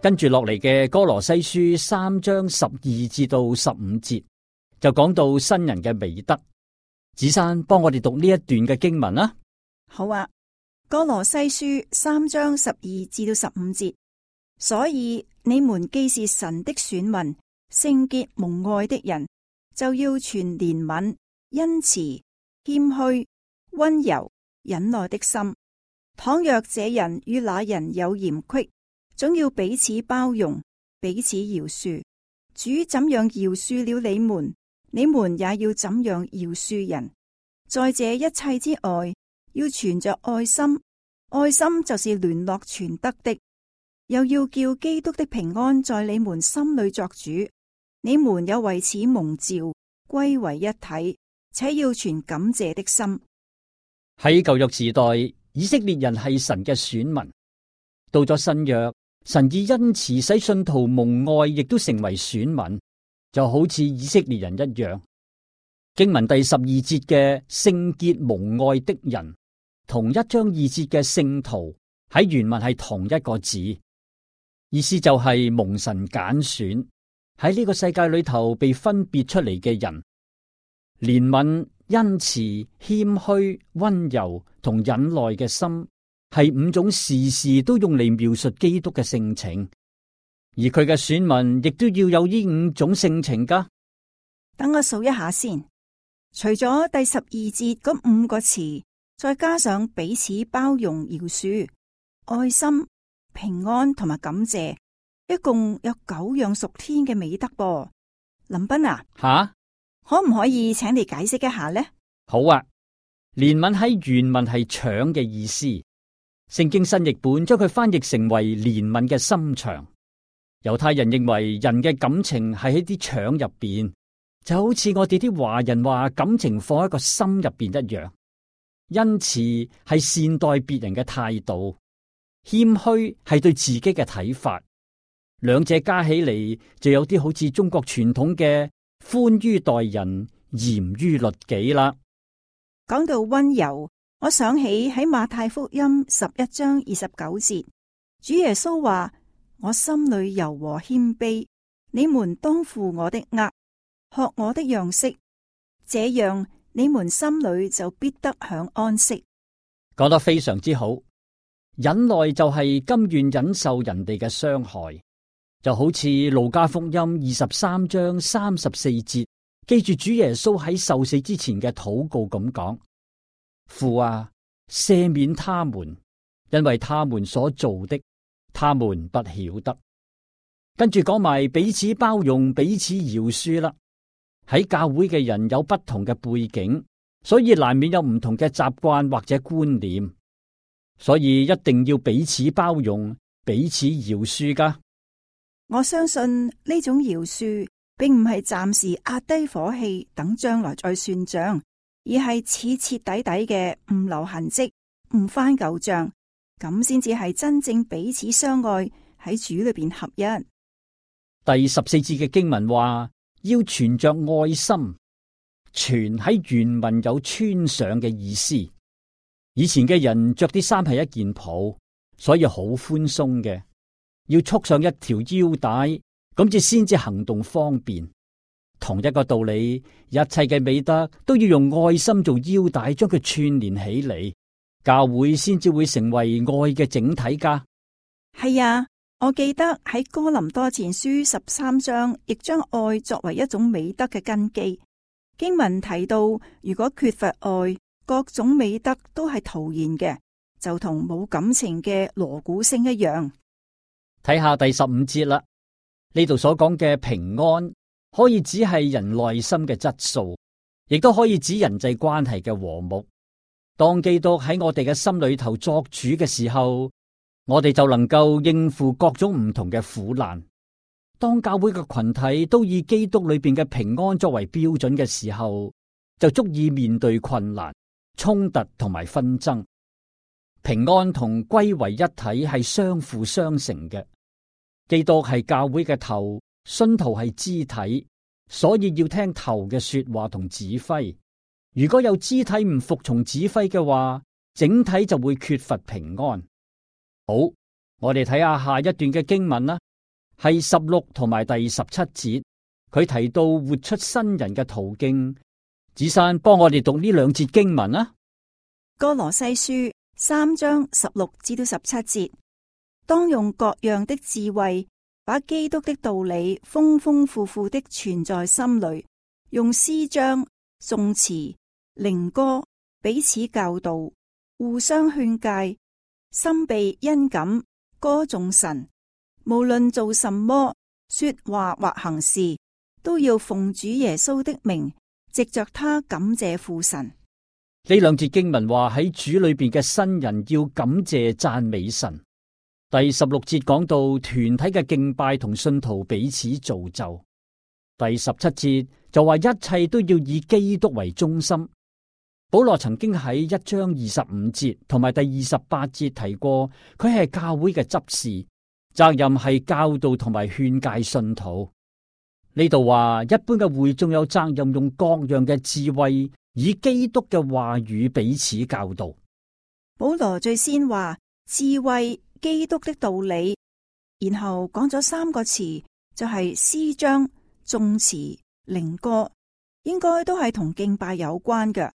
跟住落嚟嘅歌羅西書3章12至到15節，就講到新人嘅美德。子珊幫我哋讀呢一段嘅經文啦。好啊，歌羅西書3章12至到15節，所以你們既是神的選民，聖潔蒙愛的人，就要存憐憫、恩慈、謙虛、溫柔、忍耐的心。倘若這人與那人有嫌隙，總要彼此包容，彼此饒恕。主怎樣饒恕了你們，你們也要怎樣饒恕人。在這一切之外，要存着愛心，愛心就是聯絡全德的。又要叫基督的平安在你們心裏作主。你們有為此蒙召，歸為一體，且要存感謝的心。喺舊約時代，以色列人係神嘅選民。到咗新約，神以恩慈使信徒蒙愛，亦都成為選民，就好似以色列人一樣。經文第12節嘅聖潔蒙愛的人，同1章2節嘅聖徒喺原文係同一個字，意思就係蒙神揀選喺呢個世界裏頭被分別出嚟嘅人。憐憫、恩慈、謙虛、溫柔同忍耐嘅心，係5種時時都用嚟描述基督嘅性情，而佢嘅選民亦都要有呢5種性情噶。等我數一下先，除咗第12節嗰5個詞，再加上彼此包容、饒恕、愛心、平安同埋感謝，一共有9樣屬天嘅美德噃。林斌啊，可唔可以請你解釋一下呢？好啊，憐憫喺原文係腸嘅意思，聖經新譯本將佢翻譯成為憐憫嘅心腸。猶太人認為人嘅感情係喺啲腸入邊，就好似我哋啲華人話感情放喺個心入邊一樣。恩慈係善待別人嘅態度，謙虛係對自己嘅睇法，兩者加起嚟就有啲好似中國傳統嘅寬於待人，嚴於律己啦。講到溫柔，我想起喺馬太福音11章29節，主耶穌話：我心裏柔和謙卑，你們當負我的軛，學我的樣式，這樣你們心裏就必得享安息。講得非常之好，忍耐就係甘願忍受人哋嘅傷害，就好似路加福音23章34節，記住主耶穌喺受死之前嘅禱告咁講：父啊，赦免他們，因為他們所做的，他們不曉得。跟住講埋彼此包容、彼此饒恕啦。喺教會嘅人有不同嘅背景，所以難免有唔同嘅習慣或者觀念，所以一定要彼此包容、彼此饒恕噶。我相信呢種饒恕並唔係暫時壓低火氣等將來再算賬，而係徹徹底底嘅唔留痕跡、唔翻舊賬，咁先至係真正彼此相愛，喺主裏邊合一。第14節嘅經文話，要存着愛心，存喺原文有穿上嘅意思。以前嘅人着啲衫係一件袍，所以好寬鬆嘅，要束上一條腰帶，咁至先至行動方便。同一個道理，一切嘅美德都要用愛心做腰帶，將佢串連起嚟，教會先至會成為愛嘅整體噶。係啊，我記得喺哥林多前書13章，亦將愛作為一種美德嘅根基。經文提到，如果缺乏愛，各種美德都係徒然嘅，就同冇感情嘅鑼鼓聲一樣。睇下第15節啦，呢度所講嘅平安，可以指係人內心嘅質素，亦都可以指人際關係嘅和睦。當基督喺我哋嘅心裏頭作主嘅時候，我哋就能夠應付各種唔同嘅苦難。當教會嘅群體都以基督裏邊嘅平安作為標準嘅時候，就足以面對困難、衝突同埋紛爭。平安同歸為一體係相輔相成嘅。基督係教會嘅頭，信徒係肢體，所以要聽頭嘅說話同指揮。如果有肢體唔服從指揮嘅話，整體就會缺乏平安。好，我哋睇下下一段嘅經文啦。係16同埋第17節，佢提到活出新人嘅途徑。子珊幫我哋讀呢兩節經文啊。歌羅西書3章16至到17節，當用各樣的智慧，把基督的道理豐豐富富的存在心裏，用詩章、頌詞、靈歌彼此教導，互相勸誡，心被恩感，歌頌神。無論做什麼，說話或行事，都要奉主耶穌的名，藉着他感謝父神。呢兩節經文話喺主裏邊嘅新人要感謝讚美神。第16節講到團體嘅敬拜同信徒彼此造就。第17節就話一切都要以基督為中心。保羅曾經喺1章25節同埋第28節提過，佢係教會嘅執事，責任係教導同埋勸誡信徒。呢度話一般嘅會眾有責任用各樣嘅智慧，以基督嘅話語彼此教導。保羅最先話智慧、基督的道理，然後講咗3個詞，就係詩章、頌詞、靈歌，應該都係同敬拜有關嘅。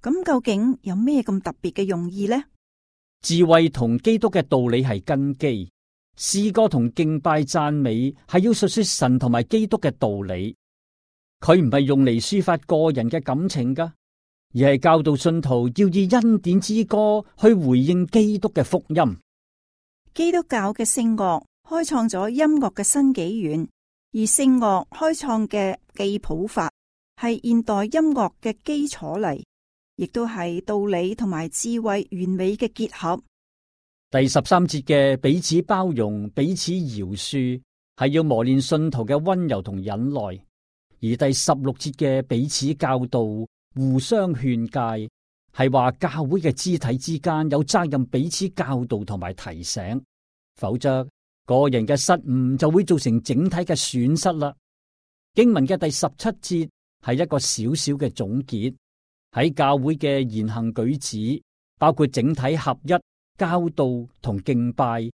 咁究竟有咩咁特別嘅用意呢？智慧同基督嘅道理係根基，詩歌同敬拜讚美係要述說神同埋基督嘅道理。佢唔係用嚟抒發個人嘅感情噶，而係教導信徒要以恩典之歌去回應基督嘅福音。基督教嘅聖樂開創咗音樂嘅新紀元，而聖樂開創嘅記譜法係現代音樂嘅基礎嚟，亦都係道理同埋智慧完美嘅結合。第13節嘅彼此包容、彼此饒恕，係要磨練信徒嘅溫柔同忍耐；而第16節嘅彼此教導、互相勸誡，係話教會嘅肢體之間有責任彼此教導同埋提醒，否則個人嘅失誤就會造成整體嘅損失啦。經文嘅第17節係一個小小嘅總結，喺教會嘅言行舉止，包括整體合一、教導同敬拜，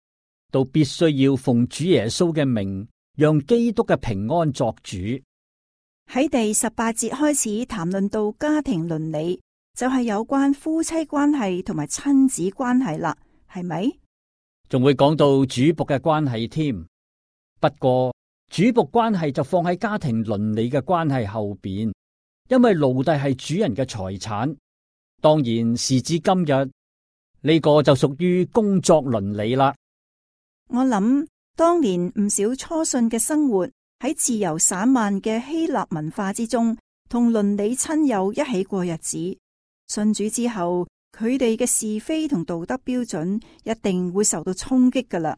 都必須要奉主耶穌嘅名，讓基督嘅平安作主。喺第18節開始談論到家庭倫理，就係有關夫妻關係同埋親子關係啦，係咪？仲會講到主僕嘅關係添。不過主僕關係就放喺家庭倫理嘅關係後邊，因為奴隸係主人嘅財產。當然時至今日，呢個就屬於工作倫理啦。我諗當年唔少初信嘅生活喺自由散漫嘅希臘文化之中，同鄰里親友一起過日子。信主之後，佢哋嘅是非同道德標準一定會受到衝擊噶啦。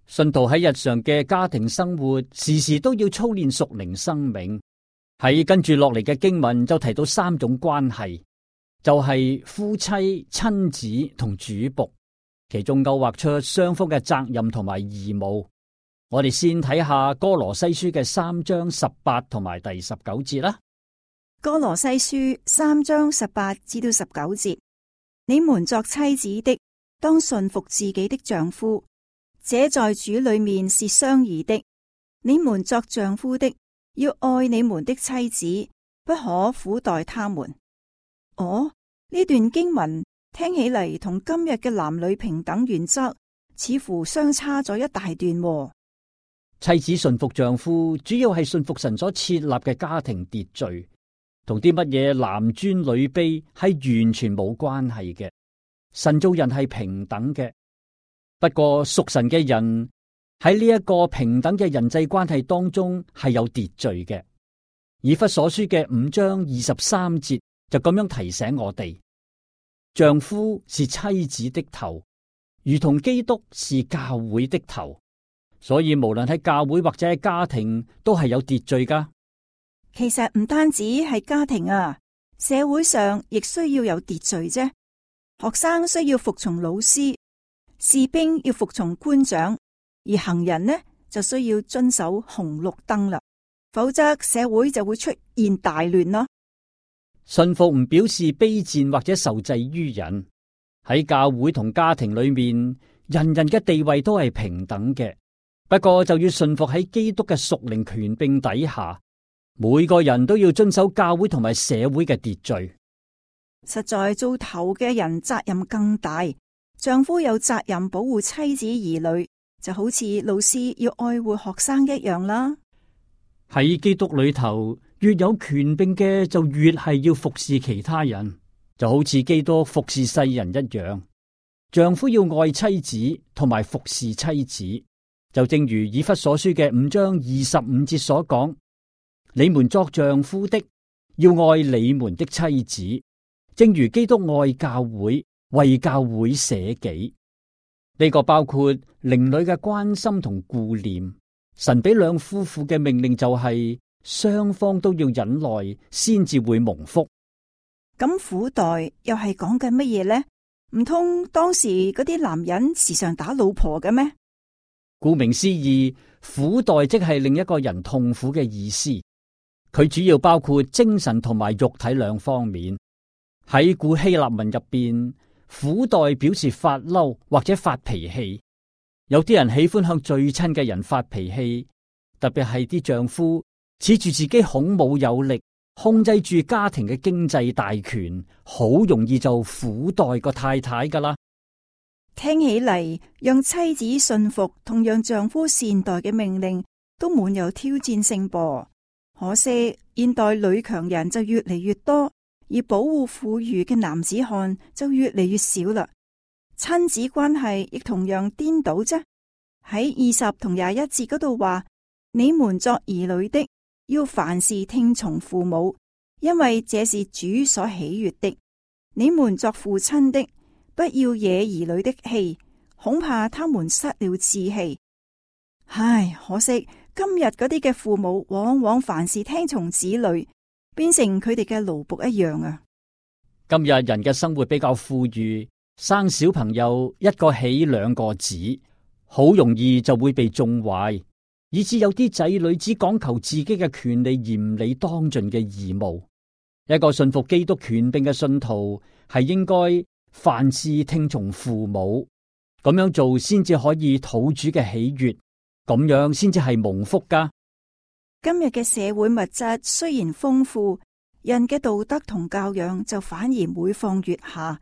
信徒喺日常嘅家庭生活，時時都要操練屬靈生命。喺跟住落嚟嘅經文就提到3種關係。就係夫妻、親子同主僕，其中勾畫出雙方嘅責任同埋義務。我哋先睇下歌羅西書嘅3章18同埋第19節啦。歌羅西書3章18至到19節，你們作妻子的，當順服自己的丈夫，這在主裏面是相宜的。你們作丈夫的，要愛你們的妻子，不可苦待他們。呢段經文聽起嚟同今日嘅男女平等原則似乎相差咗一大段。妻子順服丈夫，主要係順服神所設立嘅家庭秩序，同啲乜嘢男尊女卑係完全冇關係嘅。神造人係平等嘅，不過屬神嘅人喺呢一個平等嘅人際關係當中係有秩序嘅。以弗所書嘅5章23節就咁樣提醒我哋。丈夫是妻子的頭，如同基督是教會的頭，所以無論喺教會或者喺家庭都係有秩序噶。其實唔單止係家庭啊，社會上亦需要有秩序啫。學生需要服從老師，士兵要服從官長，而行人呢就需要遵守紅綠燈啦，否則社會就會出現大亂咯。信服唔表示卑賤或者受制於人。喺教會同家庭裏面，人人嘅地位都係平等嘅，不過就要順服喺基督嘅屬靈權柄底下，每個人都要遵守教會同埋社會嘅秩序。實在做頭嘅人責任更大，丈夫有責任保護妻子兒女，就好似老師要愛護學生一樣啦。喺基督裏頭，越有權柄嘅就越係要服侍其他人，就好似基督服侍世人一樣。丈夫要愛妻子同埋服侍妻子，就正如以弗所書嘅5章25節所講：你們作丈夫的，要愛你們的妻子，正如基督愛教會，為教會捨己。呢個包括靈裏嘅關心同顧念。神俾兩夫婦嘅命令就係雙方都要忍耐，先至會蒙福。咁苦待又係講緊乜嘢呢？唔通當時嗰啲男人時常打老婆嘅咩？顧名思義，苦待即係令一個人痛苦嘅意思。佢主要包括精神同埋肉體兩方面。喺古希臘文入邊，苦待表示發嬲或者發脾氣。有啲人喜歡向最親嘅人發脾氣，特別係啲丈夫恃住自己孔武有力，控制住家庭嘅經濟大權，好容易就苦待個太太噶啦。聽起嚟，讓妻子信服同讓丈夫善待嘅命令都滿有挑戰性噃。可惜現代女強人就越嚟越多，而保護婦孺嘅男子漢就越嚟越少啦。親子關係亦同樣顛倒啫。喺20同21節嗰度話：你們作兒女的，要凡事聽從父母，因為這是主所喜悦的。你們作父親的，不要惹兒女的氣，恐怕他們失了志氣。唉，可惜今日嗰啲嘅父母往往凡事聽從子女，變成佢哋嘅奴僕一樣啊！今日人嘅生活比較富裕，生小朋友一個起兩個止，好容易就會被縱壞，以致有啲仔女只講求自己嘅權利，而唔理當盡嘅義務。一個信服基督權柄嘅信徒係應該凡事聽從父母，咁樣做先至可以討主嘅喜悅，咁樣先至係蒙福噶。今日嘅社會物質雖然豐富，人嘅道德同教養就反而每況愈下。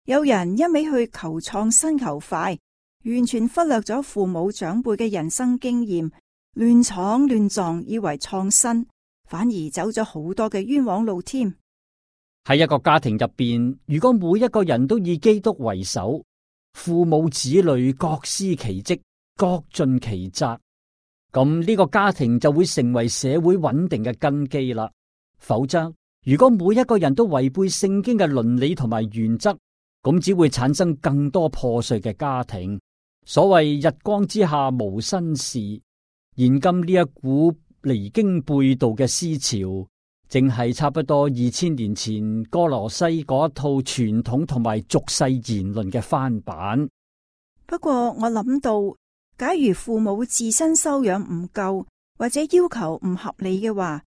有人一味去求創新求快，完全忽略咗父母長輩嘅人生經驗，亂闖亂撞，以為創新，反而走咗好多嘅冤枉路添。喺一個家庭入邊，如果每一個人都以基督為首，父母子女各司其職，各盡其責，咁呢個家庭就會成為社會穩定嘅根基啦。否則，如果每一個人都違背聖經嘅倫理同埋原則，咁只會產生更多破碎嘅家庭。所謂日光之下無新事，現今呢一股離經背道嘅思潮，正係差不多2000年前歌羅西嗰一套傳統同埋俗世言論嘅翻版。不過我諗到，假如父母自身修養唔夠，或者要求唔合理嘅話，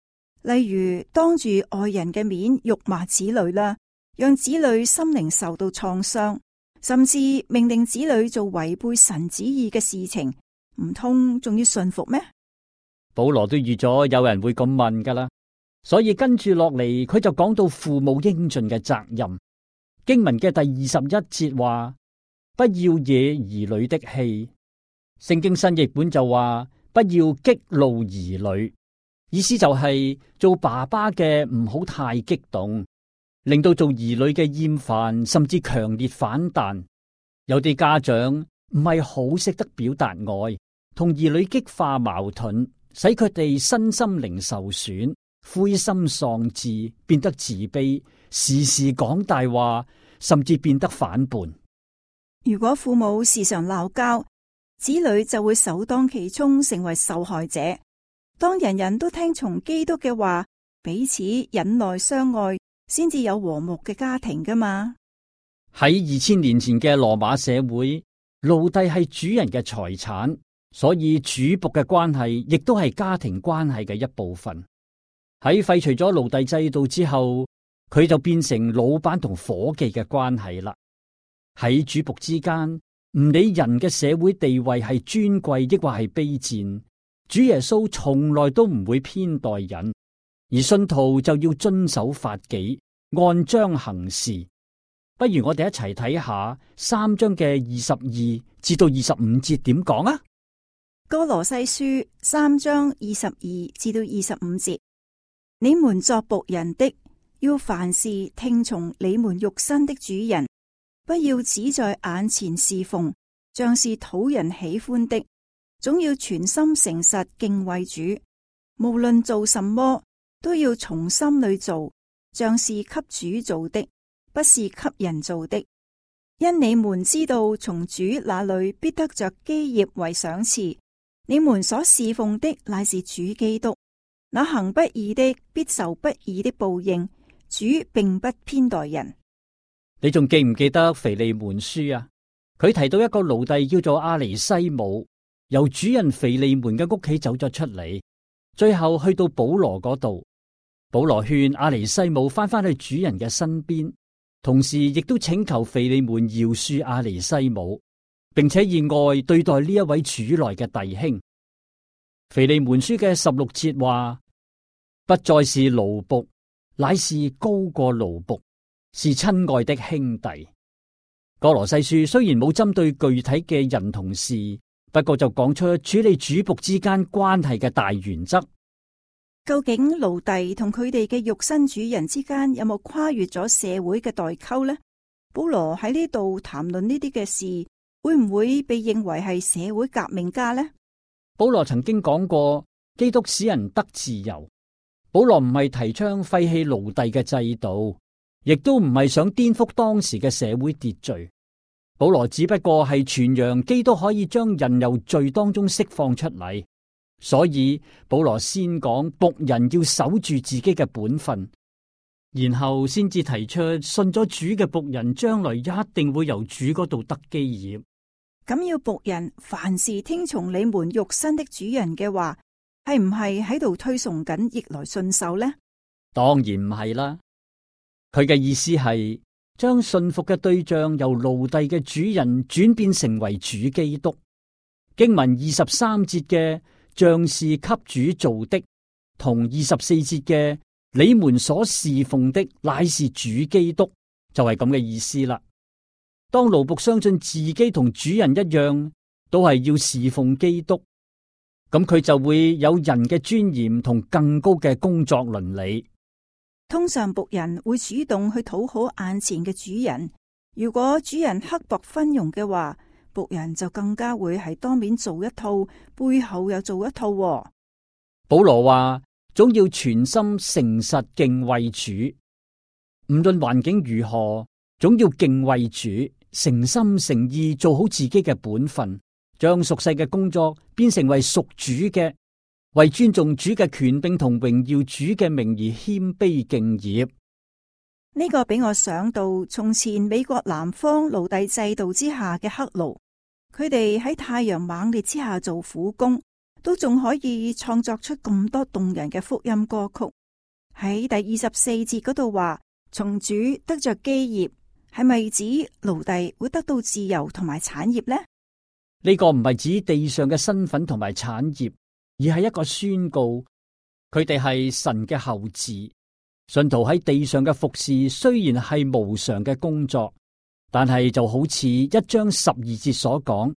例如當住愛人嘅面辱罵子女啦，讓子女心靈受到創傷，甚至命令子女做違背神旨意嘅事情，唔通仲要順服咩？保羅都預咗有人會咁問噶啦，所以跟住落嚟佢就講到父母應盡嘅責任。經文嘅第21節話：不要惹兒女的氣。聖經新譯本就話：不要激怒兒女。意思就係做爸爸嘅唔好太激動，令到做兒女嘅厭煩，甚至強烈反彈。有啲家長唔係好識得表達愛，同兒女激化矛盾，使佢哋身心靈受損，灰心喪志，變得自卑，時時講大話，甚至變得反叛。如果父母時常鬧交，子女就會首當其衝成為受害者。當人人都聽從基督嘅話，彼此忍耐相愛，先至有和睦嘅家庭噶嘛。喺2000年前嘅羅馬社會，奴隸係主人嘅財產，所以主僕嘅關係亦都係家庭關係嘅一部分。喺廢除咗奴隸制度之後，佢就變成老闆同伙計嘅關係啦。喺主僕之間，唔理人嘅社會地位係尊貴抑或係卑賤，主耶穌從來都唔會偏待人，而信徒就要遵守法紀，按章行事。不如我哋一齊睇下3章嘅22至到25節點講啊？歌羅西書3章22至到25節，你們作僕人的，要凡事聽從你們肉身的主人，不要只在眼前侍奉，像是討人喜歡的，總要全心誠實敬畏主。無論做什麼，都要從心裏做，像是給主做的，不是給人做的。因你們知道，從主那裏必得着基業為賞賜。你們所侍奉的乃是主基督，那行不義的必受不義的報應。主並不偏待人。你仲記唔記得腓利門書啊？佢提到一個奴隸叫做阿尼西姆，由主人腓利門嘅屋企走咗出嚟，最後去到保羅嗰度。保羅勸阿尼西姆翻返去主人嘅身邊，同時亦都請求腓利門饒恕阿尼西姆，並且以愛對待呢一位主內嘅弟兄。腓利門書嘅16節話：不再是奴僕，乃是高過奴僕，是親愛的兄弟。歌羅西書雖然冇針對具體嘅人同事，不過就講出處理主僕之間關係嘅大原則。究竟奴隸同佢哋嘅肉身主人之間有冇跨越咗社會嘅代溝呢？保羅喺呢度談論呢啲嘅事，會唔會被認為係社會革命家呢？保羅曾經講過，基督使人得自由。保羅唔係提倡廢棄奴隸嘅制度，亦都唔係想顛覆當時嘅社會秩序。保羅只不過係傳揚基督可以將人由罪當中釋放出嚟，所以保羅先講僕人要守住自己嘅本分，然後先至提出信咗主嘅僕人將來一定會由主嗰度得基業。咁要僕人凡事聽從你們肉身的主人嘅話，係唔係喺度推崇緊逆來順受呢？當然唔係啦，佢嘅意思係將信服嘅對象由奴隸嘅主人轉變成為主基督。經文23節嘅像是給主做的，同24節嘅你們所侍奉的乃是主基督，就係咁嘅意思啦。當奴僕相信自己同主人一樣，都係要侍奉基督，咁佢就會有人嘅尊嚴同更高嘅工作倫理。通常僕人會主動去討好眼前嘅主人，如果主人刻薄昏庸嘅話，僕人就更加會係當面做一套，背後又做一套。保羅話，總要全心誠實敬畏主，無論環境如何，總要敬畏主，誠心誠意做好自己嘅本分，將屬世嘅工作變成為屬主嘅，為尊重主嘅權柄同榮耀主嘅名而謙卑敬業。呢個俾我想到從前美國南方奴隸制度之下嘅黑奴，佢哋喺太陽猛烈之下做苦工，都仲可以創作出咁多動人嘅福音歌曲。喺第24節嗰度話，從主得着基業，係咪指奴隸會得到自由同埋產業呢？呢個唔係指地上嘅身份同埋產業，而係一個宣告，佢哋係神嘅後嗣。信徒喺地上嘅服侍雖然係無償嘅工作，但係就好似1章12節所講，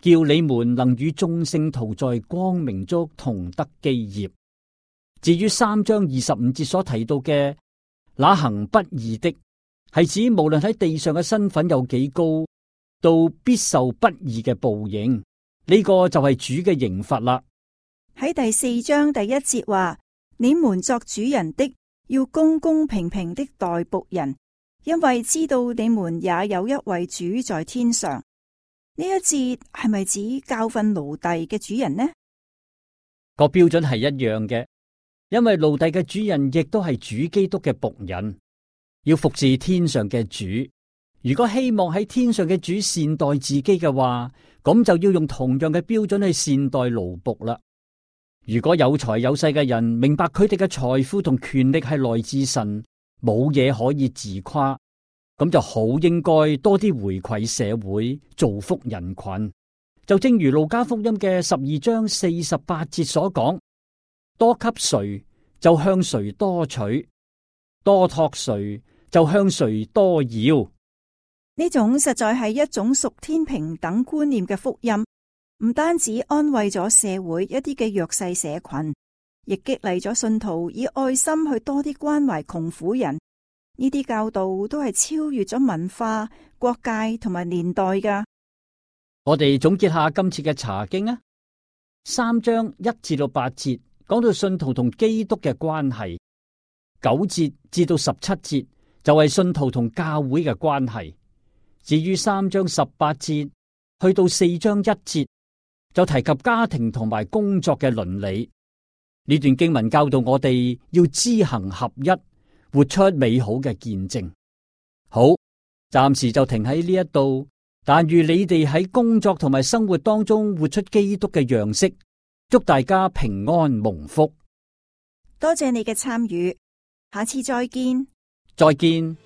叫你們能與眾聖徒在光明中同得基業。至於3章25節所提到嘅那行不義的，係指無論喺地上嘅身份有幾高，都必受不義嘅報應。呢個就係主嘅刑罰啦。喺第4章第1節話，你們作主人的，要公公平平的待僕人，因為知道你們也有一位主在天上。呢一節係咪指教訓奴隸嘅主人呢？個標準係一樣嘅，因為奴隸嘅主人亦都係主基督嘅僕人，要服侍天上嘅主。如果希望喺天上嘅主善待自己嘅話，咁就要用同樣嘅標準去善待奴僕啦。如果有財有勢嘅人明白佢哋嘅財富同權力係來自神，冇嘢可以自誇，咁就好應該多啲回饋社會，造福人群。就正如路加福音嘅12章48節所講，多給誰就向誰多取，多託誰就向誰多要。呢種實在係一種屬天平等觀念嘅福音，唔單止安慰咗社會一啲嘅弱勢社群，亦激勵咗信徒以愛心去多啲關懷窮苦人。呢啲教導都係超越咗文化、國界同埋年代㗎。我哋總結下今次嘅查經啊，3章1至到8節講到信徒同基督嘅關係，9節至到17節就係信徒同教會嘅關係。至於3章18節去到4章1節就提及家庭同埋工作嘅倫理。呢段經文教導我哋要知行合一，活出美好嘅見證。好，暫時就停喺呢一度。但願你哋喺工作同埋生活當中活出基督嘅樣式，祝大家平安蒙福。多謝你嘅參與，下次再見。再見。